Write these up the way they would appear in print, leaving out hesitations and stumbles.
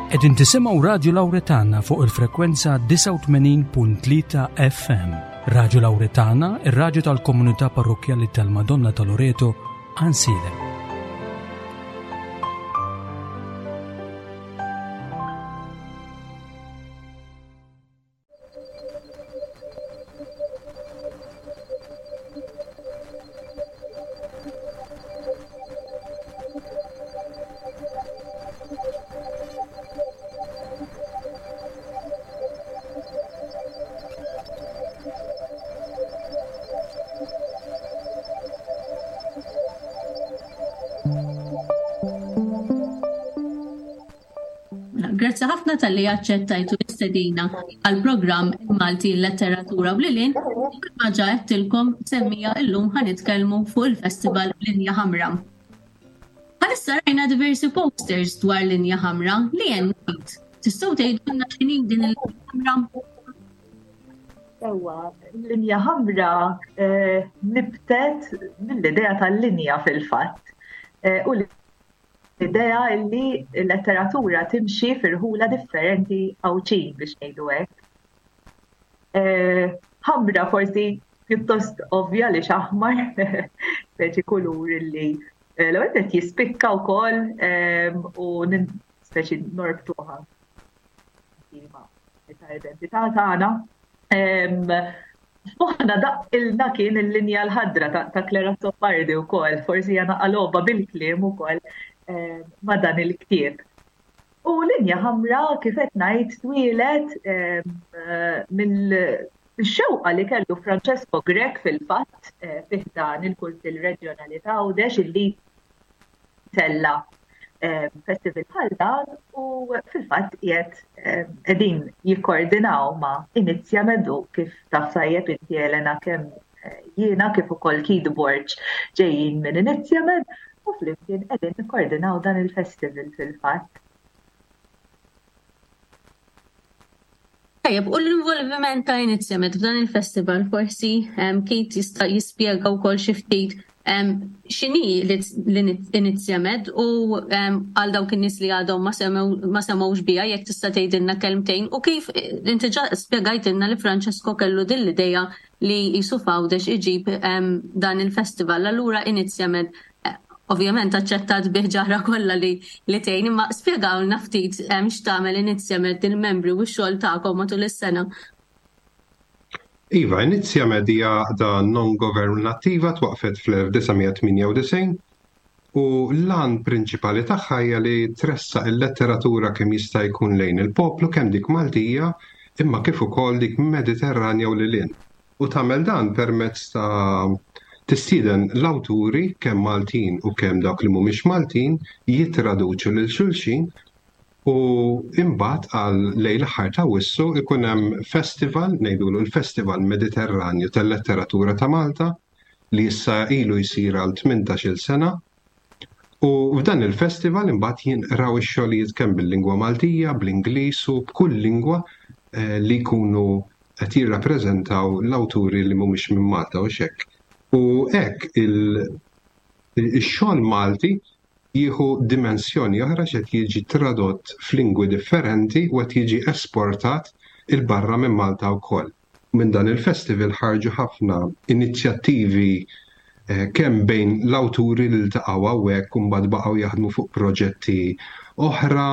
Qegħdin tisimgħu Radju Lawretana fuq il-frekwenza 89.3 FM. Radju Lawretana, ir-radju tal-komunità parrokkjali tal-Madonna ta' Loreto, Ansiedem. Mela, grazzi ħafna tal-li aċċettajtu l-istedina għal-programm Malti Letteratura u Lilin. Kif ġa għedtilkom semmija illum ħa nitkellmu fuq il-festival Linja Ħamra. Bħalissa rajna diversi posters dwar Linja Ħamra li hemm Tistgħu tgħidulna x'inhi din il-Linja Ħamra? Ewa, linja ħamra eh, nibtet mill-idea tal-linja fil-fatt. Eh, u l-idea li l-letteratura timxi firħula differenti Għawdxin biex ngħidu hekk. Eh, ħamra forsi pjuttost ovvja li xaħmar, speċi kulur li eh, l-ewwel qed jispikka wkoll eh, u speċi norbtuha ta' identità tagħna. F'moħħna daqqilna kien il-linja l-ħadra ta' Claire Azzopardi wkoll, forsi hija naqaloba bil-kliem ukoll eh, ma' dan il-ktieb. U linja ħamra kif qed ngħid twieled eh, mill-xewqa li kellu Francesco Grech fil-fatt eh, fih dan il-Kunsill Reġjonali ta' Għawdex illi tella eh, festival bħal dan u fil-fatt qiegħed eh, qegħdin jikkoordinaw ma' Inizja Medu kif taf tajjeb inti Elena kemm eh, jiena kif ukoll Keith Borg ġejjin minn Inizja Med u flimkien qegħdin nikkoordinaw dan il-festival fil-fatt. Tajjeb, u l-involviment ta' Inizjamed f'dan il-festival forsi Kate jista' jispjega wkoll xi ftit x'inhi l-Inizjamed u għal dawk in-nies li għadhom ma semgħux biha jekk tista' tgħidilna kelmtejn u kif inti ġa spjegajtilna li Francesco kellu din l-idea li qisu f'Għawdex iġib dan il-festival. Allura Inizjamed Ovvjament aċċettat bi ħġarha kollha li li tgħin, imma spjegawlna ftit x'tagħmel Inizjamed il-membri u x-xogħol tagħkom matul is-sena. Iva, Inizjamed hija għaqda non-governattiva twaqqfet fl-1998 u l-għan prinċipali tagħha hija li tressaq il-letteratura kemm jista' jkun lejn il-poplu kemm dik Maltija imma kif ukoll dik Mediterranja u lil hinn. U tagħmel dan permezz ta' tistieden l-awturi, kemm Maltin u kemm dawk li mhumiex Maltin, jittraduċu lil xulxin u imbagħad għal lejn l-aħħar ta' Awwissu jkun hemm festival, ngħidulu l-Festival Mediterranju tal-Letteratura ta' Malta, li issa ilu jsir għal 18-il sena. U f'dan il-festival imbagħad jinqraw ix-xogħlijiet kemm bil-lingwa Maltija, bl-Ingliż u b'kull lingwa eh, li jkunu qed jirrappreżentaw l-awturi li mhumiex minn Malta u hekk. U hekk ix-xogħol Malti jieħu dimensjoni oħra x'qed jiġi tradott f'lingwi differenti u qed jiġi esportat 'il barra minn Malta wkoll. Minn dan il-festival ħarġu ħafna inizjattivi kemm bejn l-awturi li ltaqgħu hawnhekk u mbagħad baqgħu jaħdmu fuq proġetti oħra,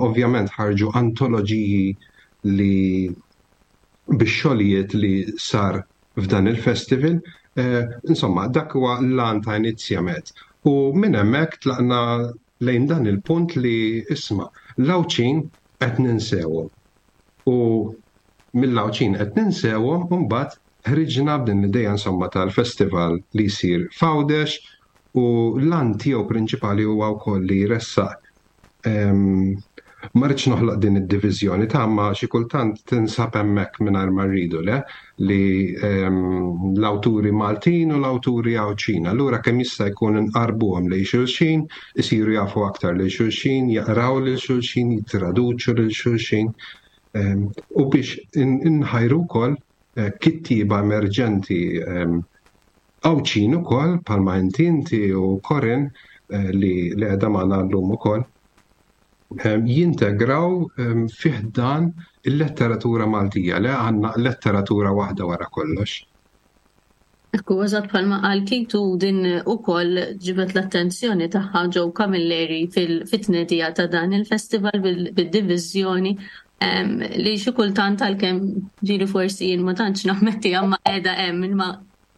ovvjament ħarġu antoloġiji li bix-xogħlijiet li sar f'dan il-festival. Insomma, dak huwa l-għan ta' Inizjamed. U minn hemmhekk tlaqna lejn dan il-punt li isma' l-Għawdxin qed ninsewhom. U mill-Għawdxin qed ninsewhom u mbagħad ħriġna b'din l-idea insomma tal-festival li jsir f'Għawdex u l-għan tiegħu prinċipali huwa wkoll li jressaq ehm, ma rridx noħloq din id-diviżjoni ta' ma xi kultant tinsab hemmhekk mingħajr ma rridu le li ehm, l-awturi Maltin u l-awturi Għawdxin. Allura kemm jista' jkun inqarbuhom lejn xulxin, isiru jafu aktar lil xulxin, jaqraw lil xulxin, jittraduċu lil xulxin ehm, u biex inħajru wkoll eh, kittieba emerġenti ehm, Għawdxin ukoll bħalma inti inti u Corinne eh, li li qiegħda magħna llum ukoll. Jintegraw fih dan il-letteratura Maltija, le għandna letteratura waħda wara kollox. Ekku, eżatt bħalma qal Keith u din ukoll ġibet l-attenzjoni tagħha Joe Camilleri fit-tnedija ta' dan il-festival bid-diviżjoni li xi kultant għalkemm ġieli forsi jien ma tantx nammettiha ma qiegħda hemm imma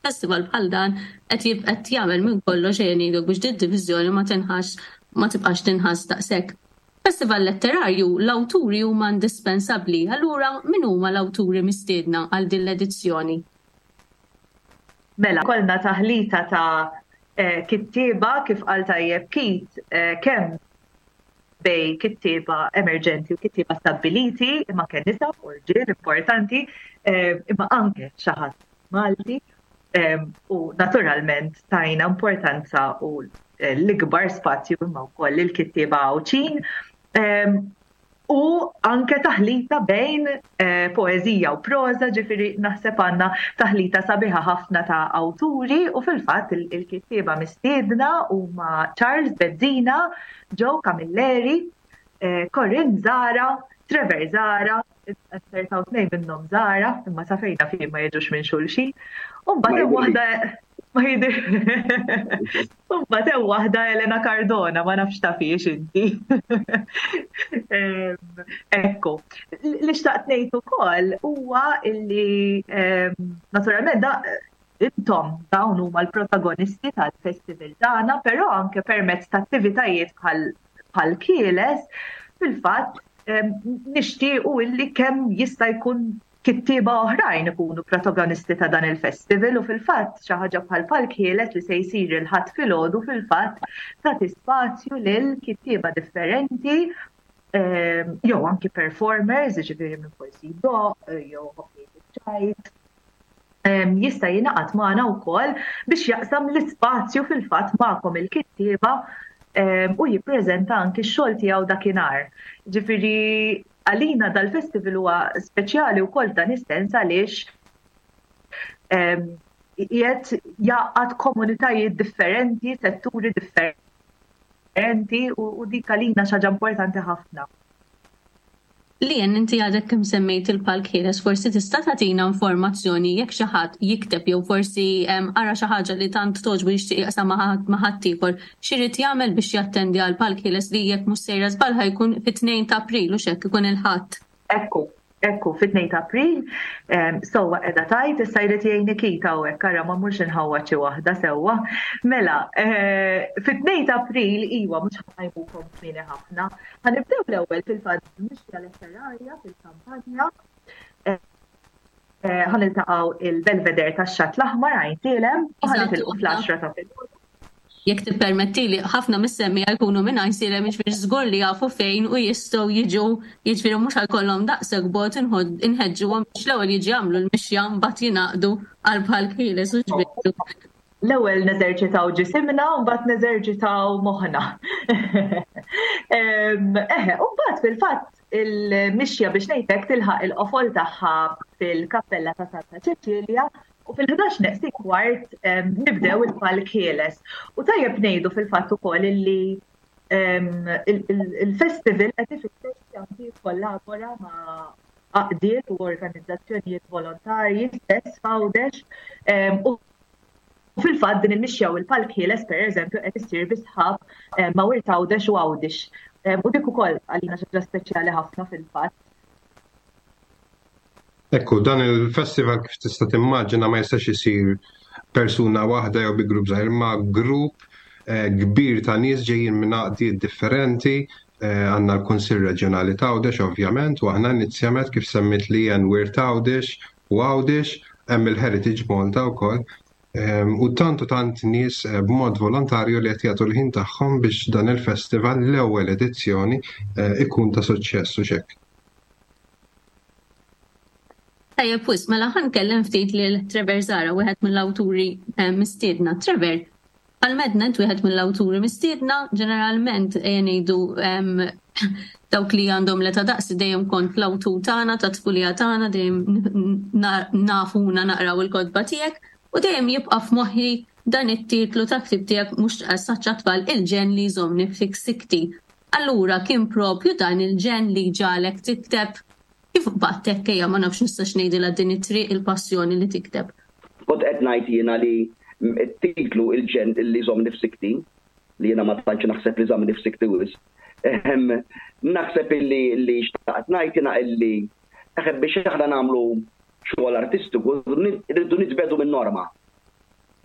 festival bħal dan qed qed jagħmel minn kollox ejja ngħidu biex din diviżjoni ma tinħass ma tibqax tinħass daqshekk. Festival letterarju l-awturi huma indispensabbli, allura min huma l-awturi mistiedna għal din l-edizzjoni? Mela, kollna taħlita ta' eh, kittieba kif qal tajjeb Keith, eh, kemm bej kittieba emerġenti u kittieba stabbiliti, imma kemm nisa u rġiel importanti, eh, imma anke xi ħadd Malti u naturalment tajna importanza u l-ikbar spazju imma wkoll il-kittieba Għawdxin u anke taħlita bejn eh, poeżija u proża, ġifieri naħseb għandna taħlita sabiħa ħafna ta' awturi u fil-fatt il-kittieba mistiedna huma Charles Bezzina, Joe Camilleri, eh, Corinne Zara, Trevor Zara, Azzertaw tnejn minnhom Zara, imma sa fejna fi ma jiġux minn xulxin. U mbagħad hemm waħda ma jidir. U mbagħad hemm waħda Elena Cardona, ma nafx ta' fiex inti. Ekku. Li xtaqt ngħid ukoll huwa illi naturalment da intom dawn huma l-protagonisti tal-festival tagħna, però anke permezz ta' attivitajiet bħal bħal kieles, fil-fatt nixtiequ illi kemm jista' jkun kittieba oħrajn ikunu protagonisti ta' dan il-festival u fil-fatt xi ħaġa bħal Palk Ħieles li se jsir il-Ħadd filgħodu fil-fatt tagħti spazju lil kittieba differenti jew anki performers, jiġifieri minn forsi jdoqq jew ċajt jista' jingħaqad magħna wkoll biex jaqsam l-ispazju fil-fatt magħkom il-kittieba u jippreżenta anki x-xogħol tiegħu dakinhar. Ġifieri għalina dal-festival huwa speċjali wkoll f'dan is-sens għaliex qiegħed jgħaqqad komunitajiet differenti, setturi differenti u dik għalina xi ħaġa importanti ħafna. Lien, inti għadek kemm semmejt il-Palk Ħieles, forsi tista' tagħtina informazzjoni jekk xi ħadd jikteb jew forsi qara xi ħaġa li tant togħġbu jixtieq jaqsam ma' ħaddieħor, x'irid jagħmel biex jattendi għall-Palk Ħieles li jekk mhux sejra żball ħa jkun fit-2 ta' April hux hekk ikun il-Ħadd. Ekku, Ekku, fit-2 ta' April, sewwa qiegħda tgħid, issa jrid jgħinni Keith hawnhekk, ara ma mmurx inħawwad xi waħda sewwa. Mela, eh, fit-2 ta' April, iwa, mhux ħajbukom kmieni ħafna. Ħanibdew l-ewwel fil-fatt mixja letterarja fil-kampanja. Eh, ħaniltaqgħu il-Belvedere tax-Xatt l-Aħmar għajn Sielem u ħanitilqu fl-10 ta' filgħodu. Jekk tippermettili, ħafna mis-semmiegħa jkunu minn Għajnsielem jiġifieri żgur li jafu fejn u jistgħu jiġu, jiġifieri mhux ħa jkollhom daqshekk bogħod inħeġġuhom biex l-ewwel jiġu jagħmlu l-mixja mbagħad jingħaqdu għal bħal Ħieles u x'bidlu. L-ewwel neżerċitaw ġisimna u mbagħad neżerċitaw moħħna. Eħe, u mbagħad fil-fatt il-mixja biex ngħidlek tilħaq il-qofol tagħha fil-Kappella ta' Santa Ċeċilja U fil-11 neqsin kwart nibdew il-palk ħieles. U tajjeb ngħidu fil-fatt ukoll illi il-festival qed ifittex li anki jikkollabora ma' għaqdiet u organizzazzjonijiet volontarji stess f'Għawdex u fil-fatt din il-mixja u l-palk ħieles pereżempju qed issir bi sħab ma' Wirt Għawdex u Għawdix. U dik ukoll għalina xi ħaġa speċjali ħafna fil-fatt. Ekku, dan il-festival kif tista' timmaġina ma jistax isir persuna waħda jew bi grupp żgħir, ma grupp eh, kbir ta' nies ġejjin minn għaqdiet differenti, eh, għandna l-Kunsill Reġjonali t'Għawdex ovvjament, u aħna inizjament kif semmit li jen Wirt Għawdex u Għawdex, hemm il-Heritage Malta wkoll. Ehm, u tant u tant nies eh, b'mod volontarju li qed jagħtu l-ħin tagħhom biex dan il-festival l-ewwel edizzjoni ikun ta' suċċess u xekk. Tajjeb wisq, mela ħa nkellem ftit lil Trevor Zahra, wieħed mill-awturi eh, mistiedna. Trevor, għal-medna int wieħed mill-awturi mistiedna, ġeneralment ejja ngħidu dawk li għandhom l-età daqsi dejjem kont l-awtur tagħna, ta' tfulija tagħna, dejjem nafuna naqraw il-kotba tiegħek u dejjem jibqa' f'moħħi dan it-titlu ta' ktib tiegħek mhux saċċa tfal il-ġen li jżommni fik sikti. Allura kien propju dan il-ġenn li ġagħlek tikteb? Kif qbadt hekk ejja ma nafx nistax ngħidilha din it-triq il-passjoni li tikteb? Kont qed ngħid jiena li t-titlu Il-ġenn li jżommni f'sikti, li jiena ma tantx naħseb li żammni f'sikti wisq, naħseb illi li xtaqt ngħid jiena illi naħseb biex aħna nagħmlu xogħol artistiku rridu nitbegħdu min-norma.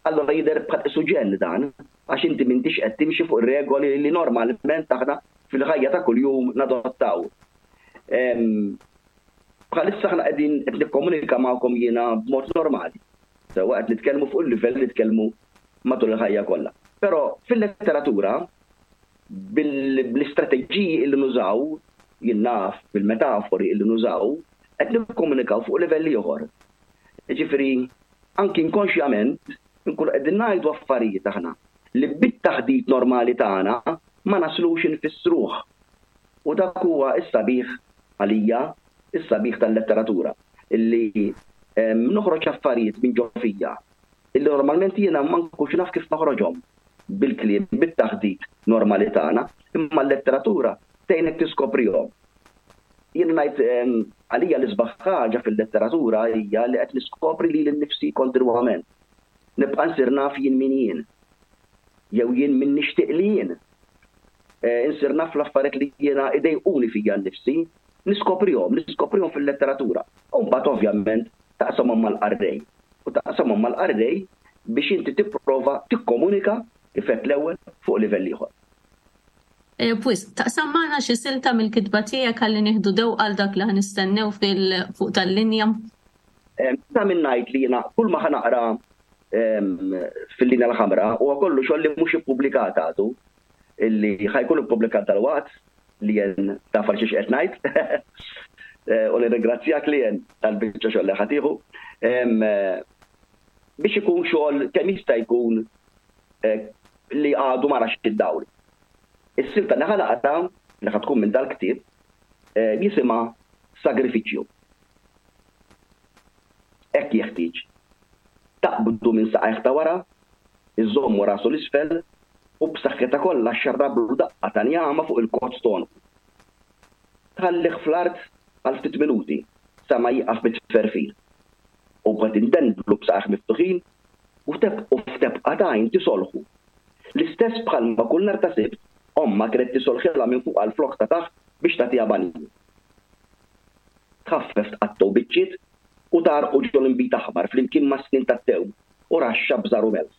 Allura jidher bħal qisu ġenn dan, għax inti m'intix qed timxi fuq ir-regoli li normalment aħna fil-ħajja ta' kuljum nadottaw. Bħalissa aħna qegħdin qed nikkomunika magħkom jiena b'mod normali. Sewwa qed nitkellmu fuq il-livell li nitkellmu matul il-ħajja kollha. Però fil-letteratura bl-istrateġiji li nużaw, jien naf bil-metafori li nużaw, qed nikkomunikaw fuq livell ieħor. Jiġifieri anki inkonxjament inkunu qegħdin ngħidu affarijiet aħna li bit-taħdit normali tagħna ma naslux infissruh. U dak huwa s-sabiħ għalija, is-sabiħ tal-letteratura, illi noħroġ affarijiet minn ġo fija illi normalment jiena ma nkunx naf kif noħroġhom bil-kliem, bit-taħdit normali tagħna, imma l-letteratura tgħinek tiskoprihom. Jien ngħid għalija l-isbaħ ħaġa fil-letteratura hija li qed niskopri lili nnifsi kontinwament. Nibqa' nsir naf jien min jien. Jew jien min nixtieq li jien. Insir naf l-affarijiet li jiena idejquni fija nnifsi, niskoprihom, niskoprihom fil-letteratura. U mbagħad ovvjament taqsamhom mal-qarrej. U taqsamhom mal-qarrej biex inti tipprova tikkomunika, kif għedt l-ewwel, fuq livell ieħor. Wisq, taqsam magħna xi silta mill-kitba tiegħek ħalli nieħdu dewqa għal dak li ħa nistennew fil fuq tal-linja? Ta' min ngħid li jiena kull ma ħa naqra fil-linja l-ħamra huwa kollu xogħol li mhux ippubblikat għadu, illi ħa jkun ippubblikat dalwaqt, Lien taf għal xiex qed ngħid. U nirringrazzjak Lien tal-biċċa xogħol li ħa tieħu. Biex ikun xogħol kemm jista' jkun li għadu ma rax id-dawl. Is-silta li ħa naqra, li ħa tkun minn dal-ktieb, jisimha Sagrifiċċju. Hekk jeħtieġ. Taqbdu minn saqajh ta' wara, iżżommu rasu 'l isfel u b'saħħitha kollha xxarrablu daqqa ta' njama fuq il-kozz t'għonqu. Tħallih fl-art għal ftit minuti sa ma jieqaf mit-tferfir. U mbagħad indendlu b'saqajh miftuħin u f'tebqa t'għajn tisolħu. L-istess bħalma kull nhar ta' Sibt ommha kienet tisolħilha minn fuqha l-flokk ta' taħt biex tagħtiha banju. Tħaffef tqattgħu biċċiet u tgħarrqu ġol-inbid aħmar flimkien mas-snien tat-tewm u raxxa bżar u melħ.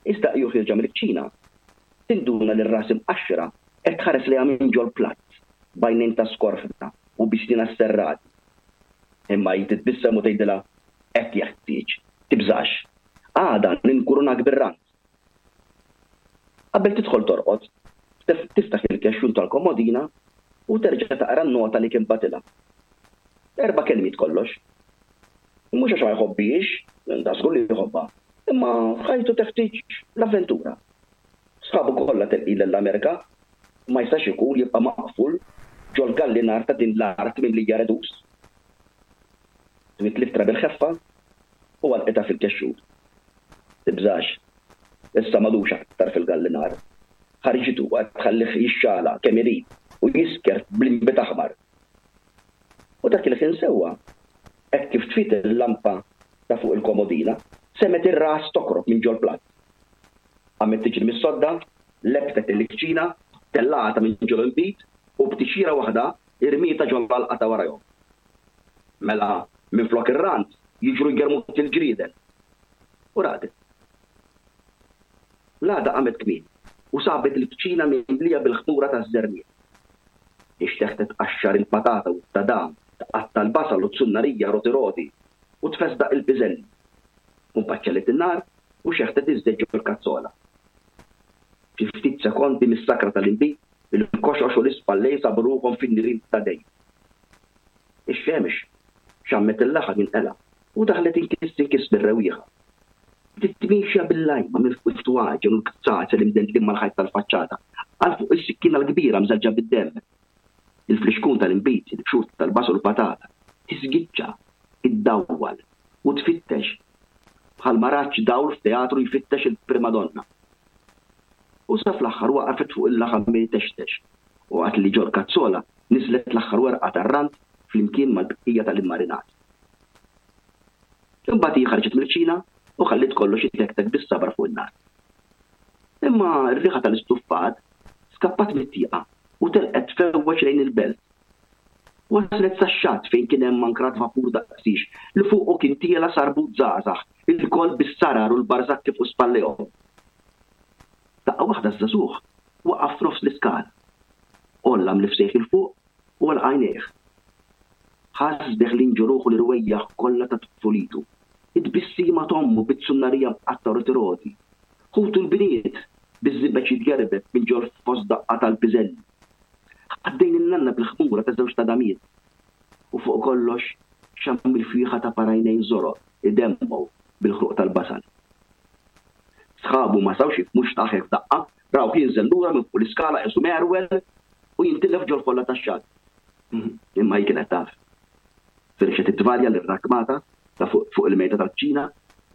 Iżda hi u ħierġa mill-kċina, tinduna li r-ras imqaxxra qed tħares lejha minn ġol-platt b'għajnejn ta' skorfna u bi snienha sserrati. Imma hi titbissem u tgħidilha, Hekk jeħtieġ. Tibżax. Għada ninkurunak bir-rand. Qabel tidħol torqod, tiftaħ il-kexxun tal-komodina u terġa' taqra n-nota li kien bagħtilha. Erba' kelmiet kollox. Mhux għax ma jħobbhiex, dażgur li jħobbha, imma ħajtu teħtieġ l-avventura. Sħabu kollha telqin lejn l-Amerika, ma jistax ikun jibqa' maqful ġol-gallinar ta' din l-art mimlija redus. Twiet l-ittra bil-ħeffa u għalqitha fil-kexxun. Tibżax. Issa m'għadux aktar fil-gallinar. Ħarġitu u qed tħallih jixxala kemm irid u jisker bl-inbid aħmar. U dak il-ħin sewwa, hekk kif tfiet il-lampa ta' fuq il-komodina, semgħet ir-ras tokrob minn ġol-platt. Qamet tiġri mis-sodda, lebbtet il-kċina, tellgħatha minn ġol-inbid u b'tixjira waħda rmietha ġol-għalqa ta' warajhom. Mela minflok ir-rand jiġru jgermuk il-ġrieden. U raqdet. L-għada qamet kmieni u sabet il-kċina mimlija bil-ħmura taż-żerniq. Ixteħtet tqaxxar il-patata u t-tadam, tqatta' l-basal u t-sunnarija roti roti u tfesdaq il-piżelli. U mbagħad xegħlet in-nar u xeħtet iż-żejt ġol-kazzola. Fi ftit sekondi mis-sakra tal-inbid, il-koxox u l-ispallejn sabu ruħhom fin-nirien ta' dejjem. Ix-xemx xammet il-laħam jinqela' u daħlet inkiss inkiss mir-rewwieħa. Bdiet miexja bil-lajma minn fuq it-twaġen u l-kzazel imdendlin mal-ħajt tal-faċċata għal fuq is-sikkina l-kbira mżeġġa bid-demm. Il-flixkun tal-inbid, il-qxur tal-basal u l-patata. Tisgiċċa, iddawwal u tfittex bħalma raġġ dawl f'teatru jfittex il-primadonna. U. u sa fl-aħħar waqafet fuq il-laħam jtextex waqt li ġol-kazzola niżlet l-aħħar werqa tar-rand flimkien mal-bqija tal-immarinat. Imbagħad hi ħarġet mill-kċina u ħalliet kollox itektek bis-sabar fuq in-nar. Imma r-riħa tal-istuffat skappat mit-tieqa u telqet tfewweġ lejn il-belt. Waslet sax-xatt fejn kien hemm ankrat vapur daqsiex li fuqu kien tiela' sarbut żgħażagħ, ilkoll bis-sarar u l-barżakki fuq spallejhom. Daqqa waħda ż-żagħżugħ waqaf f'nofs l-iskala. Għolla mnifsejh 'il fuq u għalaq għajnejh. Ħass deħlin ġo ruħu l-irwejjaħ kollha ta' tfulitu. It-tbissima t'ommu bit-sunnarija mqattgħa roti roti. Ħutu l-bniet, biż-żibeġ jitgerbeb minn ġol-fosdaqqa tal-piżelli. Ħaddejn in-nanna bil-ħmura ta' żewġt għadamiet. U fuq kollox xamm il-fwieħa ta' par għajnejn żoroq idemmgħu bil-ħruq tal-basal. Sħabu ma setgħux jifhmu x'tah hekk f'daqqa, rawh jinżel lura minn fuq l-iskala qisu merwel u jintilef ġol-folla tax-xagħat. Imma hi kienet taf. Firxet it-tvalja lir-rakkmata ta' fuq fuq il-mejda tal-kċina,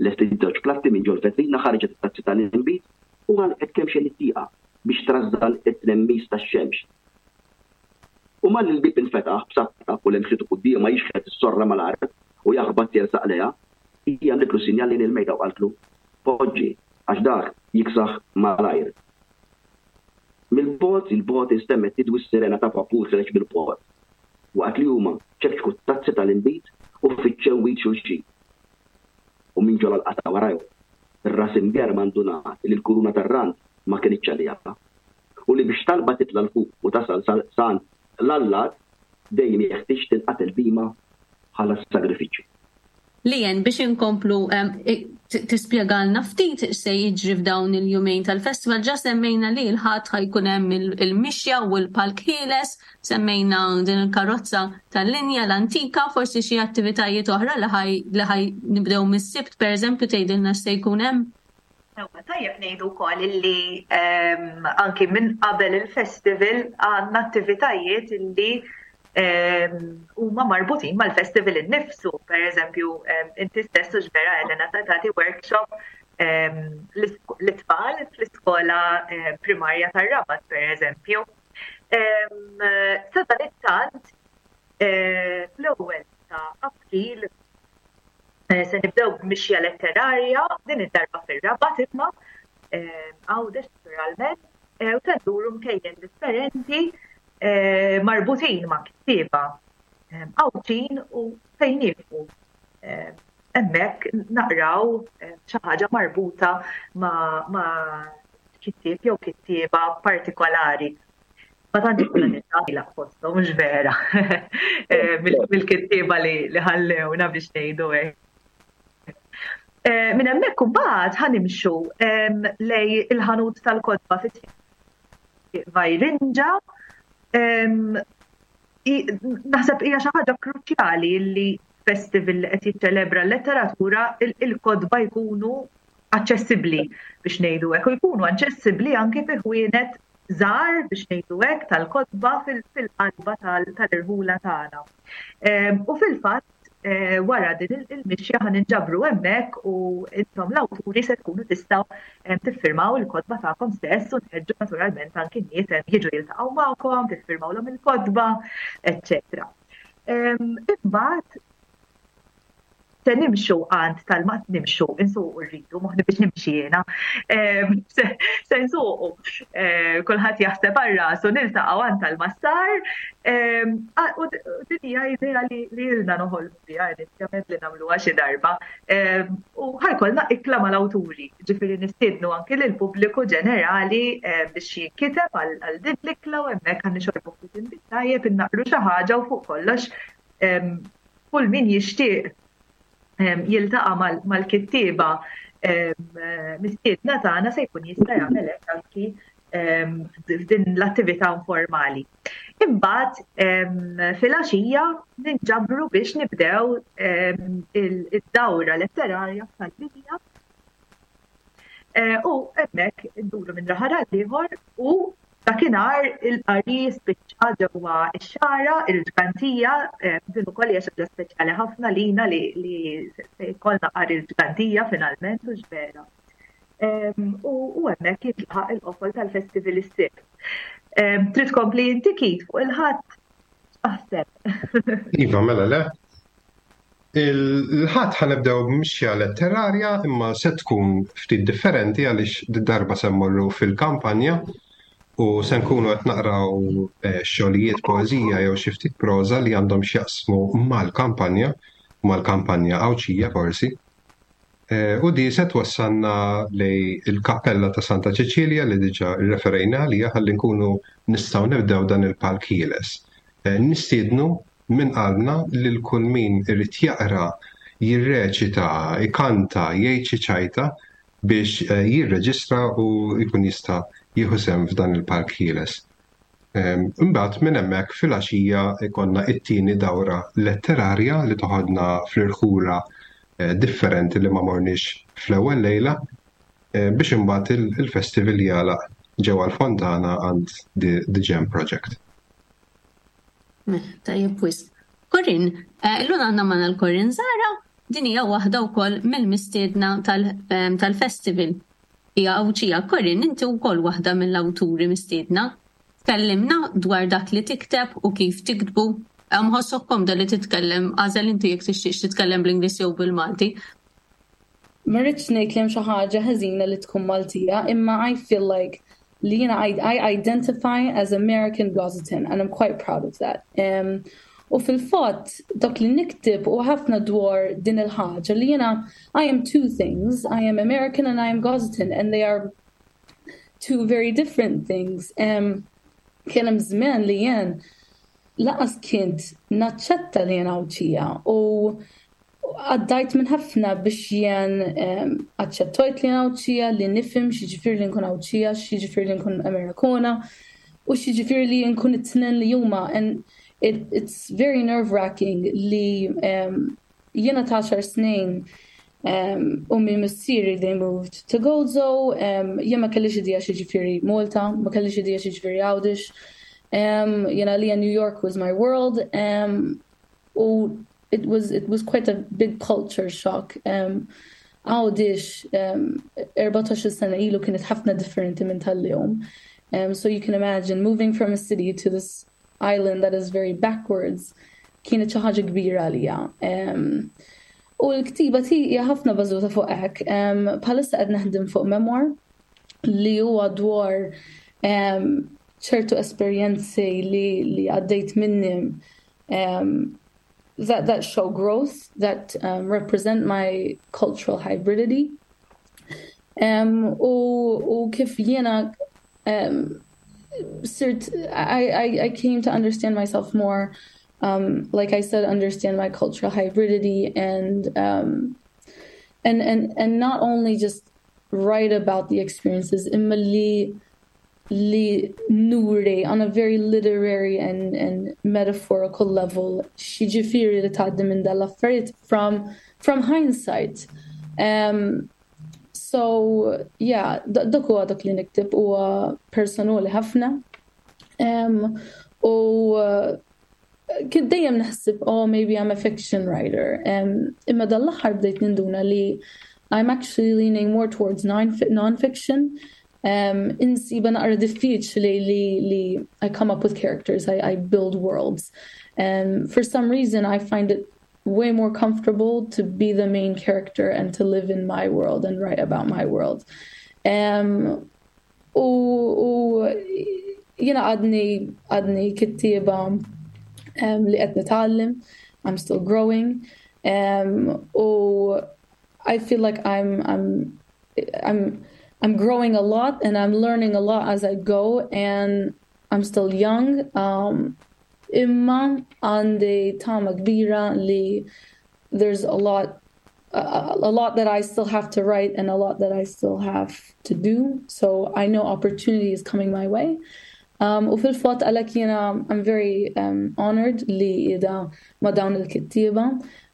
lestiet żewġ platti minn ġol-vetrina, ħarġet it-tazzi tal-inbid u għalqet kemxejn it-tieqa biex trażżan it-tnemmis tax-xemx. U malli l-bieb infetaħ b'sabta u lemħitu quddiemha jixħet is-sorra mal-art u jaħbat jersaq lejha, hi għamlitlu sinjal lejn il-mejda u qaltlu, Poġġi, għax dak jiksaħ malajr. Mill-bogħod 'il bogħod instemgħet tidwi s-sirena ta' vapur ħiereġ mill-port, waqt li huma ċekċku t-tazzi tal-inbid u fittxew id xulxin. U minn ġol-għalqa ta' warajhom, ir-ras imgerrma ndunat li l-kuruna tar-rand ma kinitx għaliha, u li biex talba titla' 'l fuq u tasal sa għand l-allat dejjem jeħtieġ tinqatel bhima bħala sagrifiċċju. Leanne, biex inkomplu tispjegalna ftit x'se jiġri f'dawn il-jumejn tal-festival, ġa semmejna li l-Ħadd ħa jkun hemm il-mixja u l-palk ħieles, semmejna din il-karozza tal-linja l-antika, forsi xi attivitajiet oħra li ħaj nibdew mis-Sibt pereżempju tgħidilna x'se jkun hemm? Sewwa, tajjeb ngħidu wkoll illi ehm, anki minn qabel il-festival għandna attivitajiet illi ehm, huma marbutin mal-festival innifsu. Per eżempju, ehm, inti stess u vera Elena ta' tagħti workshop l-itfal fl-iskola primarja tar-Rabat, per eżempju. Sa dan it-tant, eh, fl-ewwel ta' April Eh, se nibdew b'mixja letterarja din id-darba fir-Rabat imma eh, Għawdex naturalment eh, u se nduru mkejjen differenti marbutin ma' kittieba Għawdxin u fejn nieqfu hemmhekk naqraw xi ħaġa marbuta ma' kittieb jew kittieba partikolari. Ma tantx ikun nitgħalaq fosthom, mhux vera. Eh, mill-kittieba li ħallewna biex ngħidu hekk. Eh, minn hemmhekk imbagħad ħanimxu lej il-ħanut tal-kotba fit Vajrinġa. Naħseb hija xi ħaġa kruċjali li festival li qed jiċċelebra l-letteratura il-kotba jkunu aċċessibbli biex ngħidu hekk u jkunu aċċessibbli anki fi ħwienet żgħar biex ngħidu hekk tal-kotba fil-qalba tal-irħula tagħna. Ehm, u fil-fatt eh, wara din il-mixja ħan inġabru hemmhekk u intom l-awturi se tkunu tistgħu ehm, tiffirmaw il-kotba tagħkom stess u nħeġġu naturalment anki n-nies ehm, jiġu jiltaqgħu magħkom, tiffirmawlhom il-kotba, eċċetera. Imbagħad se nimxu għand tal-ma nimxu, insuqu rridu, moħni biex nimxi jiena. Ehm, se nsuqu, eh, kulħadd jaħseb għal rasu niltaqgħu għand tal-massar. Ehm, u din hija idea li ilna noħolmu biha inizjament li nagħmluha xi darba. Ehm, u ħajkollna ikla mal-awturi, ġifieri nistiednu anki lill-pubbliku ġenerali eh, biex jinkiteb għal din l-ikla u hemmhekk ħa nixorbu ftit inbid tajjeb, innaqru xi ħaġa u fuq kollox kull min jixtieq jiltaqa' mal-kittieba mistiedna tagħna se jkun jista' jagħmel hekk anki f'din l-attività informali. Imbagħad filgħaxija ninġabru biex nibdew id-dawra letterarja tal-Libja Eh, u hemmhekk induru minn raħal għal ieħor u dakinhar il-qari spiċċa ġewwa x-xara, il-ġgantija, eh, din ukoll hija xi ħaġa speċjali ħafna lina li se jkollna qari l-ġgantija finalment u x'vera. U hemmhekk jintlaħaq il-qofol tal-festival is-Sibt. Trid tkompli inti Keith fuq il-Ħadd? Aħseb. Iva, mela le. Il-Ħadd ħa nibdew b'mixja letterarja imma se tkun ftit differenti għaliex darba se mmorru fil-kampanja u se nkunu qed naqraw eh, xogħlijiet poeżija jew xi ftit proża li għandhom x'jaqsmu mal-kampanja, mal-kampanja Għawdxija forsi. Eh, u di se twassalna lej il-Kappella ta' Santa Ċeċilja li diġà rreferejna għalija ħalli nkunu nistgħu nibdew dan il-palk ħieles. Eh, nistiednu minn qalbna lil kull min irid jaqra, jirreċita, ikanta, jgħid xi ċajta biex eh, jirreġistra u jkun jista' jieħu sehem f'dan il-Park Ħieles. Ehm, imbagħad minn hemmhekk filgħaxija jkollna t-tieni dawra letterarja li toħodna fl-irħula eh, differenti li ma morniex fl-ewwel lejla eh, biex imbagħad il-festival jagħlaq ġewwa l-Fontana għand The Jam Project. Mela, tajjeb wisq. Corinne, eh, illum għandna magħna l-Corinne Zara, din hija waħda wkoll mill-mistiedna ehm, tal-festival. Hija Għawdxija. Corinne, inti wkoll waħda mill-awturi mistiedna. Tkellimna dwar dak li tikteb u kif tiktbu. Mħossok komda li titkellem, għażel inti jekk tixtieqx titkellem bl-Ingliż jew bil-Malti. Ma rridx ngħid li hemm xi ħaġa ħażina li tkun Maltija, imma I feel like li jiena I, I identify as American Gozitan and I'm quite proud of that. Um, u fil-fatt dak li niktib u ħafna dwar din il-ħaġa li jiena I am two things, I am American and I am Gozitan and they are two very different things. Um, kien hemm żmien li jien laqas kint naċċetta li jien Għawdxija u Għaddajt minn ħafna biex jien aċċettojt li jien Għawdxija, li nifhem x'jiġifieri li nkun Għawdxija, x'jiġifieri li nkun Amerikona u x'jiġifieri li nkun it-tnejn li huma. And it, it's very nerve-wracking li jiena ta' għaxar snin ummi missieri they moved to Gozo, jien ma kellix idea x'jiġifieri Malta, ma kellix idea x'jiġifieri Għawdex. Jiena għalija New York was my world. U it was it was quite a big culture shock. Um, Għawdix um, 14 sena ilu kienet ħafna differenti minn tal-lum. Um, so you can imagine moving from a city to this island that is very backwards kienet xi ħaġa kbira għalija. Um, u l-ktiba tiegħi hija ħafna bażuta fuq hekk. Um, bħalissa qed naħdem fuq memoir li huwa dwar um, ċertu esperjenzi li, li għaddejt minnim um, that, that show growth, that um, represent my cultural hybridity. Um, u, u kif jiena um, sirt, I, I, I came to understand myself more, um, like I said, understand my cultural hybridity and, um, and, and, and not only just write about the experiences, imma li li nuri on a very literary and, and metaphorical level x'jiġifieri li tgħaddi minn dal-affarijiet from, from hindsight. Um, so, yeah, dak huwa dak li nikteb huwa personali ħafna. Um, u uh, kien dejjem naħseb, oh, maybe I'm a fiction writer. Um, imma dal-aħħar bdejt ninduna li I'm actually leaning more towards non-fiction. Um, insiba naqra diffiċli li, li I come up with characters, I, I build worlds. Um, for some reason, I find it way more comfortable to be the main character and to live in my world and write about my world. Um, u, u jena għadni għadni kittieba um, li qed nitgħallem, I'm still growing. Um, u I feel like I'm I'm I'm I'm growing a lot and I'm learning a lot as I go and I'm still young. Um, imma għandi tama kbira li there's a lot a, a lot that I still have to write and a lot that I still have to do. So I know opportunity is coming my way. Um, u fil-fatt għalhekk jiena I'm very um, honored li qiegħda ma' dawn il-kittieba.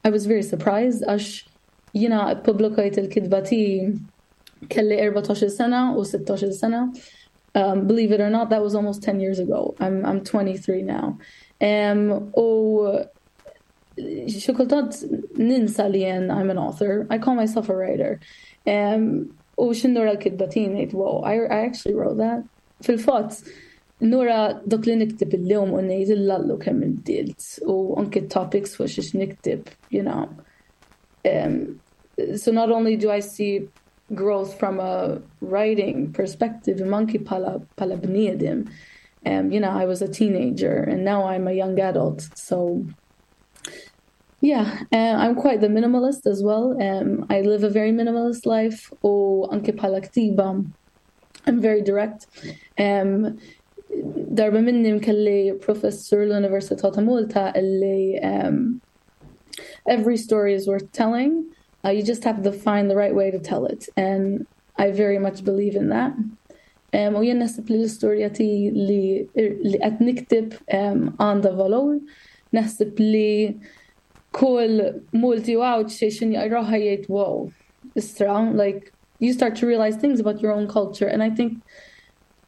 I was very surprised għax Jiena ppubblikajt il-kitba tiegħi kelli 14-il sena u 16-il sena. Um, believe it or not, that was almost 10 years ago. I'm, I'm 23 now. Um, u xi kultant ninsa li jien I'm an author. I call myself a writer. Um, U x'ħin nura l-kitba tiegħi ngħid, wow, I actually wrote that. Fil-fatt, nura dak li nikteb illum u ngħid illallu kemm inbdilt u anke topics fuq xiex nikteb, you know. So not only do I see growth from a writing perspective, imma anki bħala bniedem. I was a teenager and now I'm a young adult. So yeah, I'm quite the minimalist as well. I live a very minimalist life u anki bħala ktiba I'm very direct. Darba minnhom kelli professur l-Università ta' Malta illi every story is worth telling. You just have to find the right way to tell it. And I very much believe in that. U jien naħseb li l-istorja tiegħi li qed nikteb għandha valur. Naħseb li kull Malti u Għawdxi x'ħin jaqraha jgħid wow, istra, like you start to realize things about your own culture. And I think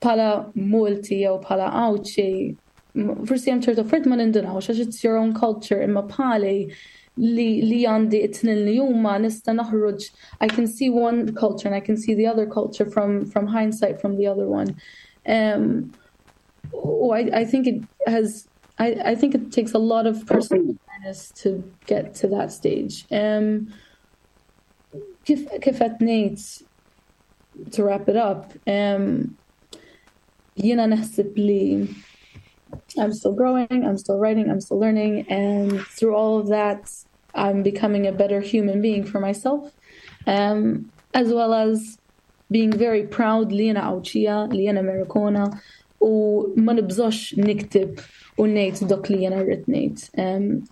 bħala Malti jew bħala Għawdxi, forsi hemm ċertu affarijiet ma nindunawx għax it's your own culture imma bħali li għandi it-tnejn li huma nista' naħroġ I can see one culture and I can see the other culture from hindsight from the other one. I think it has I think it takes a lot of personal awareness to get to that stage. Kif qed ngħid to wrap it up, jiena naħseb li I'm still growing, I'm still writing, I'm still learning, and through all of that, I'm becoming a better human being for myself, as well as being very proud li jiena Għawdxija, li jiena Amerikana, u ma nibżax nikteb u ngħid dak li jiena rrid ngħid.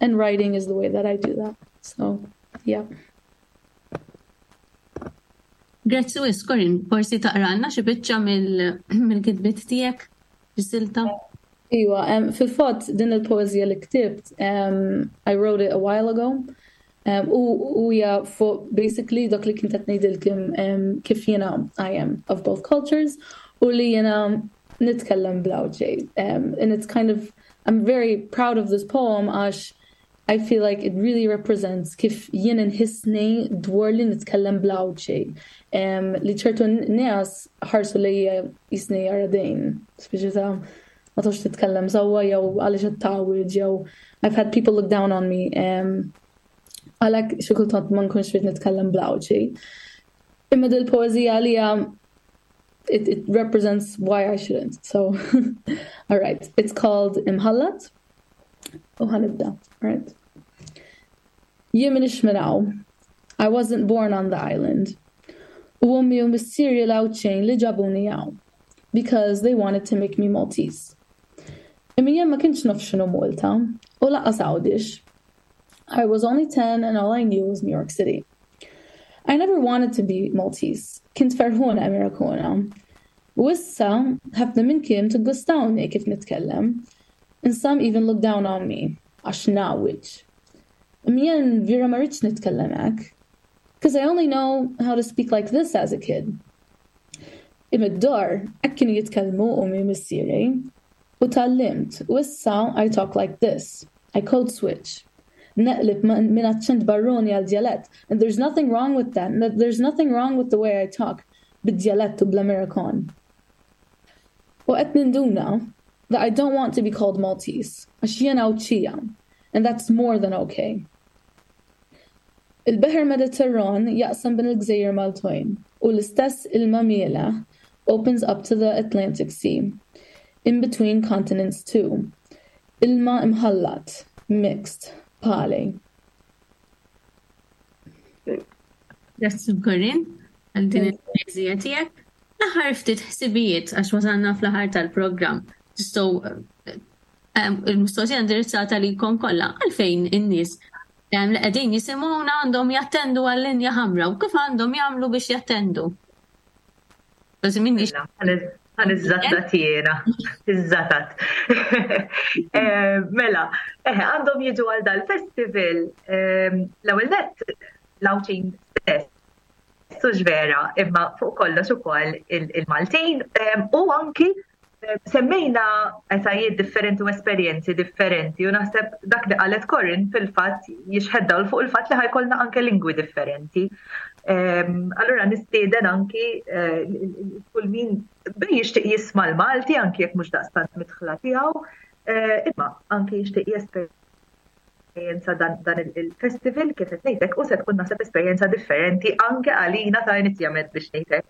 And writing is the way that I do that. So, yeah. Grazzi wisq, Corinne, forsi taqralna xi biċċa mill-kitbiet tiegħek, silta? Iwa, fil-fatt din il-poeżija li ktibt, I wrote it a while ago. U hija fuq basically dak li kont qed ngħidilkom kif jiena I am of both cultures u li jiena nitkellem bl-Għawdxi. And it's kind of, I'm very proud of this poem għax I feel like it really represents kif jien nħissni dwar li nitkellem bl-Għawdxi. Li ċertu nies ħarsu li jisni għaradejn, speċi ta' ma tafx titkellem sewwa jew għaliex qed tgħawweġ jew I've had people look down on me. Għalhekk xi kultant ma nkunx rrid nitkellem bl-Għawdxi. Imma dil-poeżija għalija it represents why I shouldn't. So, all right. It's called Imħallat. U ħa nibda, right? Jien m'iniex minn hawn. I wasn't born on the island. U ommi u missieri l-Għawdxin li ġabuni hawn. Because they wanted to make me Maltese. Imma jien ma kontx naf x'inhu Malta u lanqas Għawdex. I was only 10 and all I knew was New York City. I never wanted to be Maltese. Kont ferħuna Amerikana. U issa, ħafna minnkom tiggustawni kif nitkellem. And some even look down on me, għax ngħawweġ. Imma jien vera ma rridx nitkellem hekk. Because I only know how to speak like this as a kid. Imma d-dar, hekk kienu jitkellmu ommi missieri. U tgħallimt, u issa I talk like this. I code switch. Neqleb minn aċċent barrani għal djalett. And there's nothing wrong with that. There's nothing wrong with the way I talk bid-djalett u bl-Amerikan. U qed ninduna that I don't want to be called Maltese, għax jien Għawdxija, and that's more than okay. Il-Beħer Mediterran jaqsam bejn il-Gżejjer Maltin u l-istess ilma mielaħ opens up to the Atlantic Sea, in between continents too. Ilma imħallat, mixed, bħali. Grazzi Corinne, għal din il-poeżija tiegħek. L-aħħar ftit ħsibijiet għax wasalna fl-aħħar tal-programm. Tistgħu il-mistoqsija indirizzata lilkom kollha għalfejn in-nies li qegħdin jisimgħuna għandhom jattendu għal-linja ħamra u kif għandhom jagħmlu biex jattendu. Ħa niżżattat jiena, iżżattat. Mela, għandhom jiġu għal dal-festival l-ewwel nett l-Għawdxin stess. Sux vera, imma fuq kollox ukoll il-Maltin u anki semmejna etajiet differenti u esperjenzi differenti u naħseb dak li qalet Corinne fil-fatt jixħet dawl fuq il-fatt li ħa jkollna anke lingwi differenti. Allura nistieden anki eh, kull min bej jixtieq jisma' l-Malti anki jekk mhux daqstant midħla tiegħu, eh, imma anki jixtieq jesperjenza dan il-festival kif qed ngħidlek u se tkun naħseb esperjenza differenti anke għalina ta' inizjament biex ngħidlek.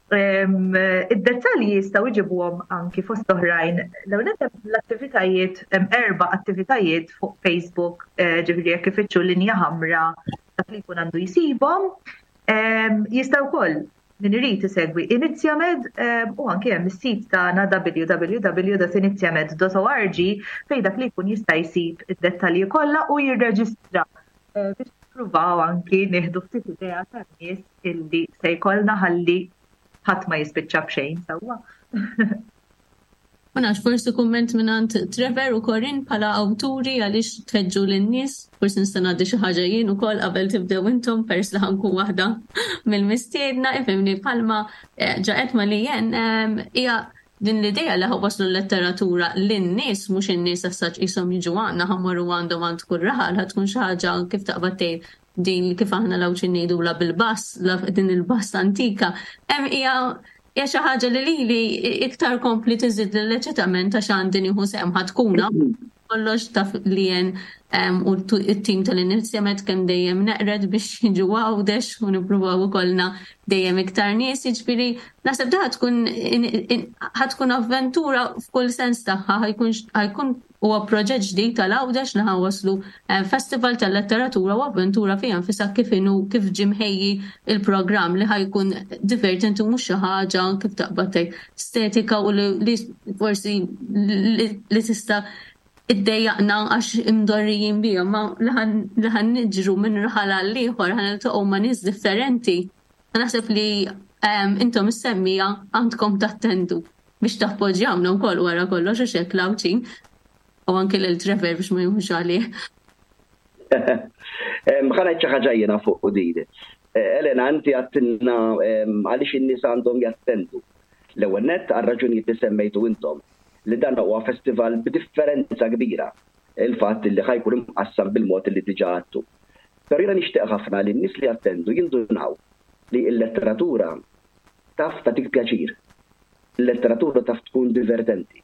Id-dettalji jistgħu jġibuhom anki fost oħrajn l-ewwel l-attivitajiet hemm erba' attivitajiet fuq Facebook, eh, ġifieri jekk ifittxu linja ħamra dak li jkun għandu jsibhom. Jista' wkoll min irid isegwi Inizjamed u anke hemm is-sit tagħna www.inizjamed.org fejn dak li jkun jista' jsib id-dettalji kollha u jirreġistra eh, biex nippruvaw anki nieħdu ftit idea tan-nies illi se jkollna ħalli ħadd ma jispiċċa b'xejn sewwa. Ma nafx, forsi kumment mingħand Trevor u Corinne bħala awturi għaliex tħeġġu lin-nies, forsi nista' ngħaddi xi ħaġa jien ukoll qabel tibdew intom peress li ħankun waħda mill-mistiedna, ifhimni bħalma eh, ġa qed ma li jen ehm, hija din l-idea li waslu l-letteratura lin-nies mhux in-nies as-saċ qishom jiġu għandna ħammorru għandhom għand kull raħal ħad tkun xi ħaġa kif taqbad tgħid din kif aħna l-Għawdxin ngħidulha bil-bass, din il-bass antika, hemm hija hija xi ħaġa li lili iktar kompli tiżid l-eċitament għax għandi nieħu sehem ħa tkun kollox taf li jen u t-tim tal-inizjamet kemm dejjem neqred biex jiġu Għawdex u nippruvaw ikollna dejjem iktar nies, jiġifieri naħseb da tkun ħa tkun avventura f'kull sens tagħha ħajkun Huwa proġett ġdid tal-Għawdex li ħa nwasslu festival tal-letteratura u avventura fiha nfisha kif inhu kif ġie mħejji l-programm li ħa jkun divertenti u mhux xi ħaġa kif taqbad tgħid stetika u li forsi li tista' iddejjaqna għax imdorrijin biha ma li ħa niġru minn raħal għal ieħor ħa niltaqgħu ma' nies differenti. Naħseb li intom is-semmiegħa għandkom tattendu. Biex tappoġġjawna wkoll wara kollox għax hekk l-Għawdxin u anke lil Trevor biex ma jieħux għalih. Ħa ngħid xi ħaġa jiena fuq din. Eh, Elena, inti għattilna għaliex in-nies għandhom jattendu. L-ewwel nett għal raġunijiet li semmejtu intom li dan huwa festival b'differenza kbira il-fatt li ħajkun imqassam bil-mod li diġà għadtu. Però jiena nixtieq ħafna li n-nies li jattendu jindunaw li l-letteratura taf tagħtik pjaċir. Il-letteratura taf tkun divertenti.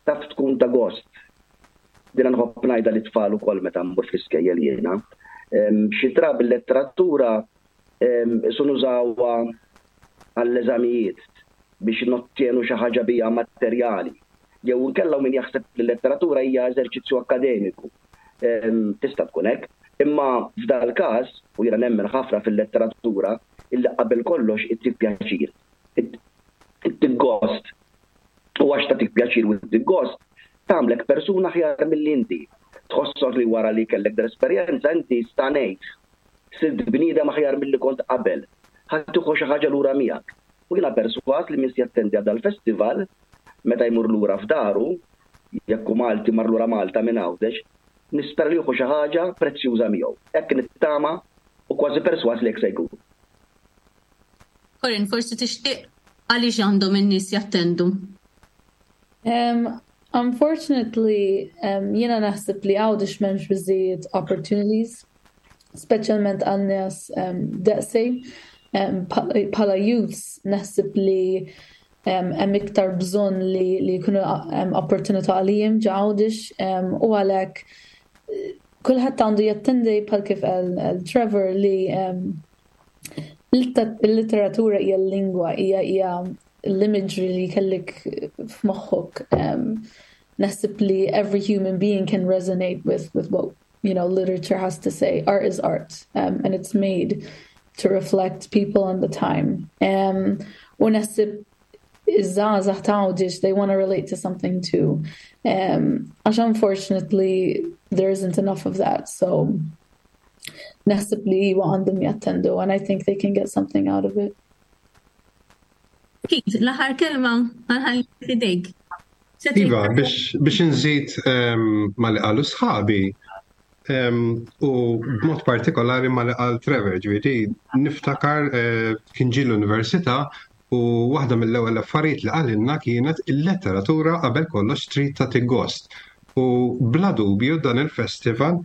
Taf tkun ta' gost. Dina nħobb ngħidha lit-tfal ukoll meta mmur fl-iskejjel jiena. Xi drabi l-letteratura qisu nużawha għall-eżamijiet biex nottjenu xi ħaġa biha materjali. Jew inkella hawn min jaħseb li l-letteratura hija eżerċizzju akkademiku. Tista' tkun hekk. Imma f'dal-każ, u jiena nemmen ħafna fil-letteratura, illi qabel kollox ittik pjaċir. Ittik gost. U għax tagħtik pjaċir u ttik gost, tagħmlek persuna aħjar milli inti. Tħossok li wara li kellek dal-esperjenza inti stagħnejt. Sirt bniedem aħjar milli kont qabel. Ħa tieħu xi ħaġa lura miegħek. U jiena persważ li min se jattendi għal dal-festival, meta jmur lura f'daru, jekk hu Malti mar lura Malta minn Għawdex, nispera li jieħu xi ħaġa prezzjuża miegħu. Hekk nittama u kważi persważ li hekk se jkun. Corinne, forsi tixtieq għaliex għandhom in-nies jattendu? Um, unfortunately, um, jiena naħseb li Għawdex m'hemmx biżżejjed opportunities, speċjalment għal nies um, daqsi. Um, bħala youths naħseb li hemm iktar bżonn li li jkunu opportunità għalihom ġo Għawdex u għalhekk kulħadd għandu jattendi bħal kif qal Trevor li l-litteratura hija l-lingwa hija hija l-imagery li kellek f'moħħok. Naħseb li every human being can resonate with with what you know literature has to say. Art is art um, and it's made to reflect people and the time. Um, u naħseb iż-żgħażagħ ta' Għawdex they want to relate to something too. Um, għax unfortunately there isn't enough of that. So naħseb li iwa għandhom jattendu and I think they can get something out of it. Keith, l-aħħar kelma ħanħalli f'idejk. Iva, biex nżid ehm, ma li qalu sħabi, ehm, u b'mod partikolari ma li qal Trevor, ġifieri niftakar eh, kien ġie l-università u waħda mill-ewwel affarijiet li qalilna kienet il-letteratura qabel kollox trid tagħti gost. U bla dubju dan il-festival.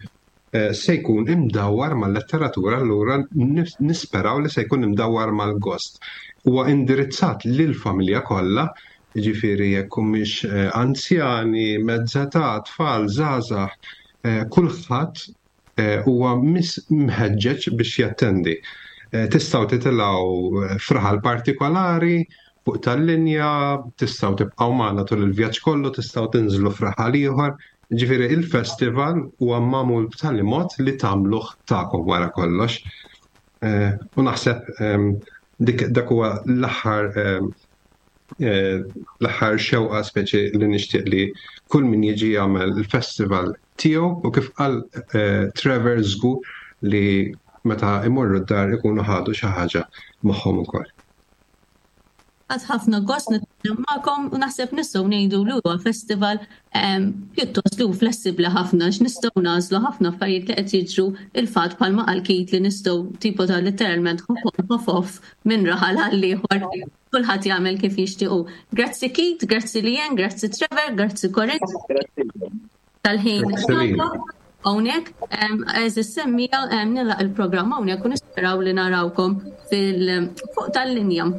Se jkun imdawwar mal-letteratura allura nisperaw li se jkun imdawwar mal-gost. Huwa indirizzat lill-familja kollha, jiġifieri jekk humiex anzjani, mezza età, tfal, żgħażagħ, kulħadd huwa mħeġġeġ biex jattendi. Tistgħu titilgħu f'raħal partikolari fuq tal-linja, tistgħu tibqgħu magħna tul il-vjaġġ kollu, tistgħu tinżlu f'raħal ieħor. Ġifieri il-festival huwa magħmul b'tali mod li tagħmluh tagħkom wara kollox. U naħseb dik dak huwa l-aħħar l-aħħar xewqa speċi li nixtieq li kull min jiġi jagħmel il-festival tiegħu u kif qal Trevor żgur li meta imorru d-dar ikunu ħadu xi ħaġa magħhom ukoll. Ħadt ħafna gost nitkellem magħkom u naħseb nistgħu ngħidu li huwa festival ehm, pjuttost li hu flessibbli ħafna għax nistgħu nagħżlu ħafna affarijiet li qed jiġru il-fatt bħalma qal Keith li nistgħu tipo ta' literalment hop on hop off minn raħal għal ieħor kulħadd jagħmel kif jixtiequ. Grazzi Keith, grazzi Lien, grazzi Trevor, grazzi Corinne. Tal-ħin hawnhekk, eżis semmija nilaq il-programm hawnhekk u nisperaw li narawkom fil fuq tal-linja.